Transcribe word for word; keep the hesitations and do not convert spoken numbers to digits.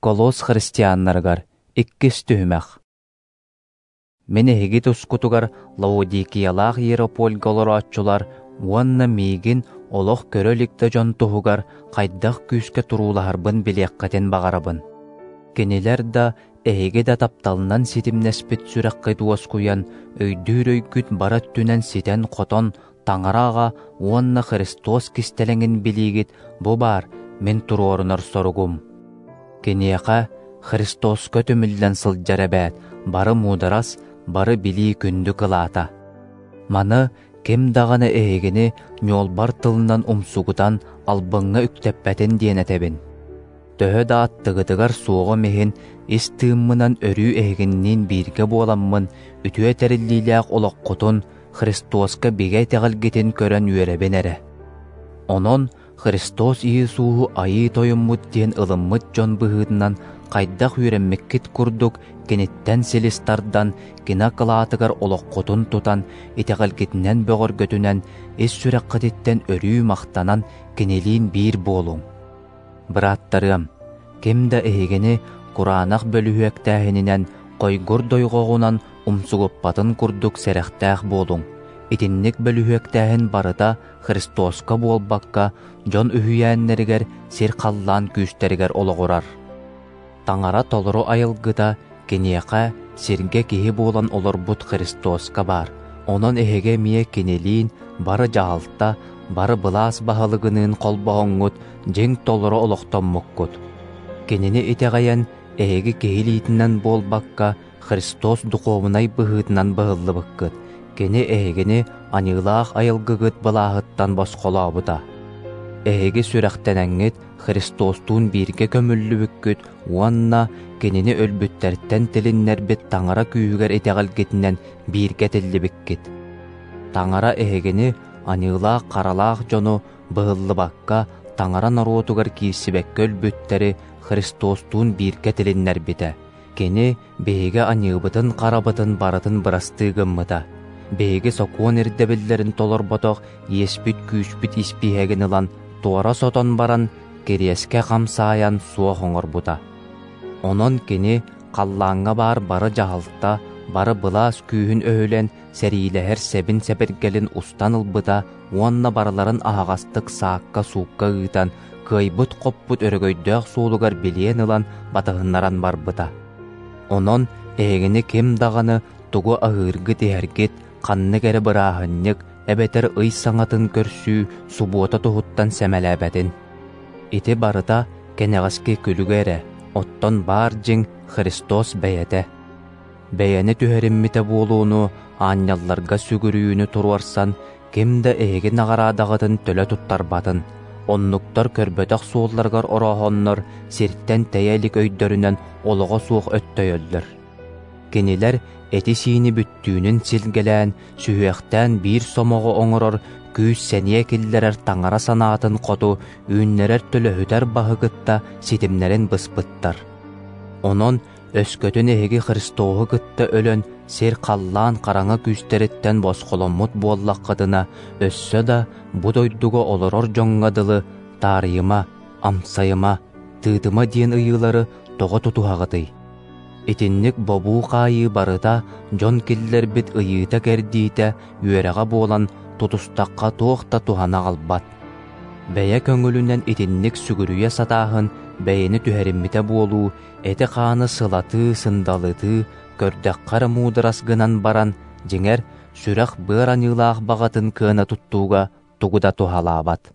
Колосс христианнарыгар иккис түһүмэх. Мин эһиги тускутугар Лаодикиялаах Иеропольга олорооччулар уонна миигин олох көрө илик да дьон туһугар хайдах күүскэ туруулаһарбын билиэххитин баҕарабын. Кинилэр да, эһиги да тапталынан ситимнэспит сүрэххит уоскуйан, өйдүүр өйгүт бары өттүнэн ситэн-хотон, Таҥара Аҕа уонна Христос кистэлэҥин билиигит бу баар мин туруорунар соругум. Киниэхэ Христоска түмүллэн сылдьар эбээт бары муударас, бары билии күндү кылаата. Маны ким даҕаны эһигини ньуолбар тылынан умсугутан албыҥҥа үктэппэтин диэн этэбин. Төһө да аттыгытыгар суоҕум иһин ис тыыммынан өрүү эһигинниин бииргэ буоламмын, үтүө тэриллиилээх олоххутун Христоска бигэ итэҕэлгитин көрөн үөрэбин эрэ. Онон Христос Иисуһу Айыы Тойоммут диэн ылыммыт дьон быһыытынан хайдах үөрэммиккит курдук киниттэн силис тардан, кини акылаатыгар олоххутун тутан, итэҕэлгитинэн бөҕөргөтүнэн, ис сүрэххититтэн өрүү махтанан кинилиин биир буолуҥ. Бырааттарыам, ким да эһигини кураанах бөлүһүөктээһининэн, хойгур дойҕоҕунан умсугуппатын курдук сэрэхтээх буолуҥ. Итинник бөлүһүөктээһин барыта Христоска буолбакка, дьон үһүйээннэригэр, сир-халлаан күүстэригэр олоҕурар. Таҥара толору айылгыта киниэхэ сиргэ киһи буолан олорбут Христоска баар. Онон эһиги эмиэ кинилиин бары дьаһалта, бары былаас баһылыгыныын холбоһоҥҥут дьиҥ толору олохтоммуккут. Кинини итэҕэйэн эһиги киһи илиитинэн буолбакка, Христос духуобунай быһыытынан быһыллыбыккыт. Кини эһигини аньыылаах айылгыгыт былааһыттан босхолообута. Эһиги сүрэхтэнэҥҥит Христостуун бииргэ көмүллүбүккүт уонна кинини өлбүттэртэн тилиннэрбит Таҥара күүһүгэр итэҕэлгитинэн бииргэ тиллибиккит. Таҥара эһигини аньыылаах харалаах дьону быһыллыбакка Таҥара норуотугар киирсибэккэ өлбүттэри Христостуун бииргэ тилиннэрбитэ. Кини биһиги аньыыбытын харабытын барытын бырастыы гыммыта. Биһиги сокуон ирдэбиллэрин толорботох иэспит күүспүт испииһэгин ылан туора сотон баран кириэскэ хамсаайан суох оҥорбута. Онон кини халлааҥҥа баар бары дьаһалта, бары былаас күүһүн өһүлэн сэриилэһэр сэбин сэбиргэлин устан ылбыта уонна барыларын аһаҕастык саакка-суукка ыытан, кыайбыт-хоппут өрөгөйдөөх суолугар билиэн ылан батыһыннаран барбыта. Онон эһигини ким даҕаны тугу аһыыргыт-иһэргит, ханнык эрэ бырааһынньык, эбэтэр ый саҥатын көрсүү субуота туһуттан сэмэлээбэтин. Ити барыта кэнэҕэски күлүгэ эрэ, оттон баар дьиҥ Христос бэйэтэ. Бэйэни түһэриммитэ буолууну, аанньалларга сүгүрүйүүнү туруорсан, ким да эһиги наҕараадаҕытын төлө туттарбатын. Оннуктар көрбөтөх суолларыгар орооһоннор сиртэн тэйэ илик өйдөрүнэн олоҕо суох өттөйөллөр. Кинилэр эти-сиини бүттүүнүн силгэлээн, сүһүөхтээн биир сомоҕо оҥорор күүс сэниэ киллэрэр Таҥара санаатын хоту үүннэрэр төлөһүтэр баһы кытта ситимнэрин быспыттар. Онон өскөтүн эһиги Христоһу кытта өлөн сир-халлаан хараҥа күүстэриттэн босхоломмут буоллаххытына, өссө да бу дойдуга олорор дьоҥҥо дылы таарыйыма, амсайыма, тыытыма диэн ыйыылары тоҕо тутуһаҕытый? Итинник бобуу хаайыы барыта дьон киллэрбит ыйыыта-кэрдиитэ үөрэҕэ буолан тутустахха туох да туһана аҕалбат. Бэйэ көҥүлүнэн итинник сүгүрүйэ сатааһын бэйэни түһэриммитэ буолуу, эти-хааны сылатыы, сындалытыы, көрдөххө эрэ муударас гынан баран, дьиҥэр, сүрэх быар аньыылаах баҕатын кыана туттууга тугу да туһалаабат.